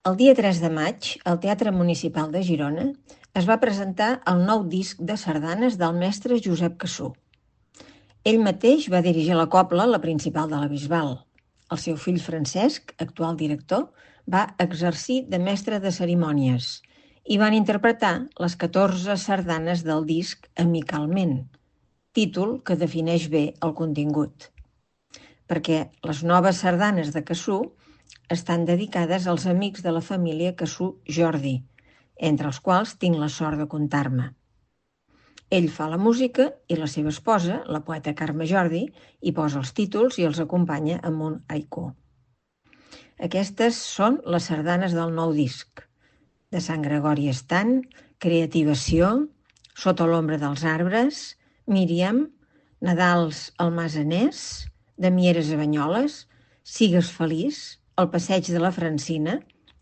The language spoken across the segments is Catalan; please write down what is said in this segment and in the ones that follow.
El dia 3 de maig, al Teatre Municipal de Girona, es va presentar el nou disc de sardanes del mestre Josep Cassú. Ell mateix va dirigir la cobla, la principal de la Bisbal. El seu fill Francesc, actual director, va exercir de mestre de cerimònies i van interpretar les 14 sardanes del disc amicalment, títol que defineix bé el contingut. Perquè les noves sardanes de Cassú estan dedicades als amics de la família Cassú Jordi, entre els quals tinc la sort de comptar-me. Ell fa la música i la seva esposa, la poeta Carme Jordi, hi posa els títols i els acompanya amb un haiku. Aquestes són les sardanes del nou disc. De Sant Gregori Estant, Creativació, Sota l'ombra dels arbres, Míriam, Nadals al Masanès, de Mieres a Banyoles, Sigues feliç, El passeig de la Francina,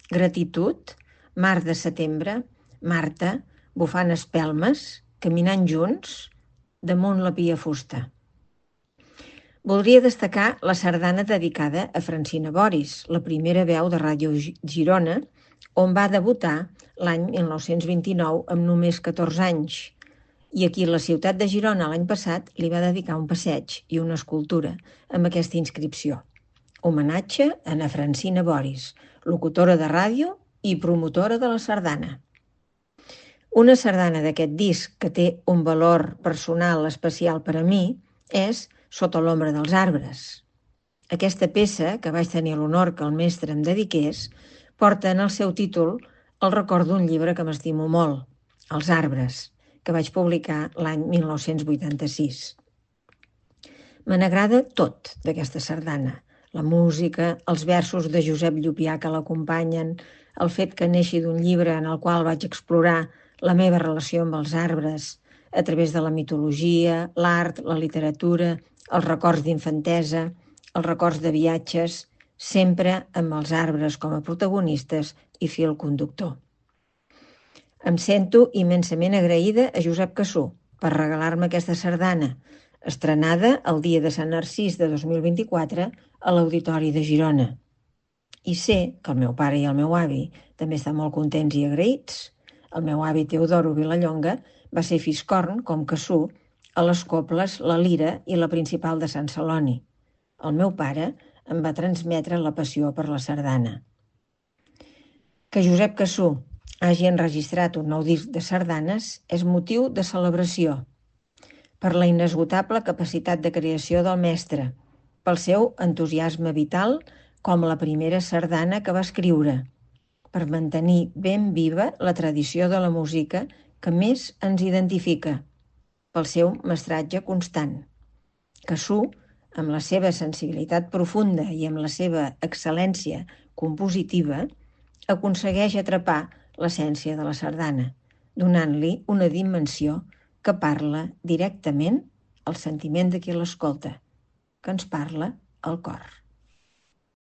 Gratitud, Mar de setembre, Marta, Bufant espelmes, Caminant junts, Damunt la pia fusta. Voldria destacar la sardana dedicada a Francina Boris, la primera veu de Ràdio Girona, on va debutar l'any 1929 amb només 14 anys, i aquí a la ciutat de Girona l'any passat li va dedicar un passeig i una escultura amb aquesta inscripció. Homenatge a na Francina Boris, locutora de ràdio i promotora de la sardana. Una sardana d'aquest disc que té un valor personal especial per a mi és Sota l'ombra dels arbres. Aquesta peça, que vaig tenir l'honor que el mestre em dediqués, porta en el seu títol el record d'un llibre que m'estimo molt, Els arbres, que vaig publicar l'any 1986. Me n'agrada tot d'aquesta sardana. La música, els versos de Josep Llupià que l'acompanyen, el fet que neixi d'un llibre en el qual vaig explorar la meva relació amb els arbres a través de la mitologia, l'art, la literatura, els records d'infantesa, els records de viatges, sempre amb els arbres com a protagonistes i fil conductor. Em sento immensament agraïda a Josep Cassú per regalar-me aquesta sardana, estrenada el dia de Sant Narcís de 2024 a l'Auditori de Girona. I sé que el meu pare i el meu avi també estan molt contents i agraïts. El meu avi Teodoro Vilallonga va ser fiscorn, com Cassú, a les cobles La Lira i la Principal de Sant Celoni. El meu pare em va transmetre la passió per la sardana. Que Josep Cassú hagi enregistrat un nou disc de sardanes és motiu de celebració, per la inesgotable capacitat de creació del mestre, pel seu entusiasme vital com la primera sardana que va escriure, per mantenir ben viva la tradició de la música que més ens identifica, pel seu mestratge constant. Cassú, amb la seva sensibilitat profunda i amb la seva excel·lència compositiva, aconsegueix atrapar l'essència de la sardana, donant-li una dimensió que parla directament al sentiment de qui l'escolta, que ens parla al cor.